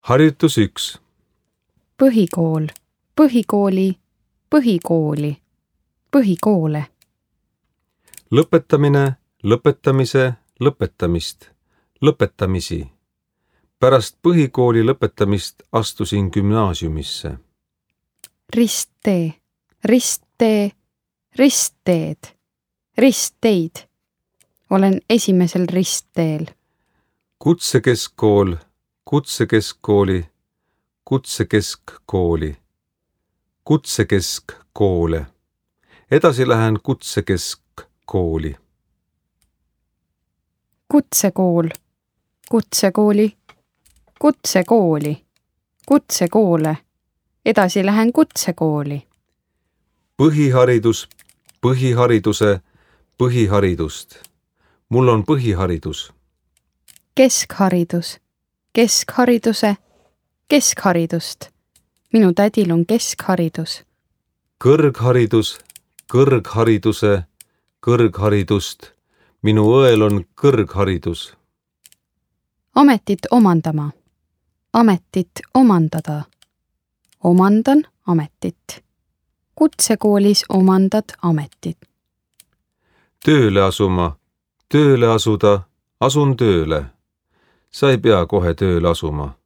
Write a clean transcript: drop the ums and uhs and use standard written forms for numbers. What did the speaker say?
Harjutus 1. Põhikool, põhikooli, põhikooli, põhikoole. Lõpetamine, lõpetamise, lõpetamist, lõpetamisi. Pärast põhikooli lõpetamist astusin gümnaasiumisse. Risttee, risttee, ristteed, ristteid. Olen esimesel ristteel. Kutsekeskkool, kutsekeskkooli, kutsekeskkooli, kutsekeskkoole. Edasi lähen kutsekeskkooli. Kutsekool, kutsekooli, kutsekooli, kutsekoole. Edasi lähen kutsekooli. Põhiharidus, põhihariduse, põhiharidust. Mul on põhiharidus. Keskharidus, keskhariduse, keskharidust. Minu tädil on keskharidus. Kõrgharidus, kõrghariduse, kõrgharidust. Minu õel on kõrgharidus. Ametit omandama, ametit omandada. Omandan ametit. Kutsekoolis omandad ametit. Tööle asuma, tööle asuda, asun tööle. Sa ei pea kohe tööle asuma.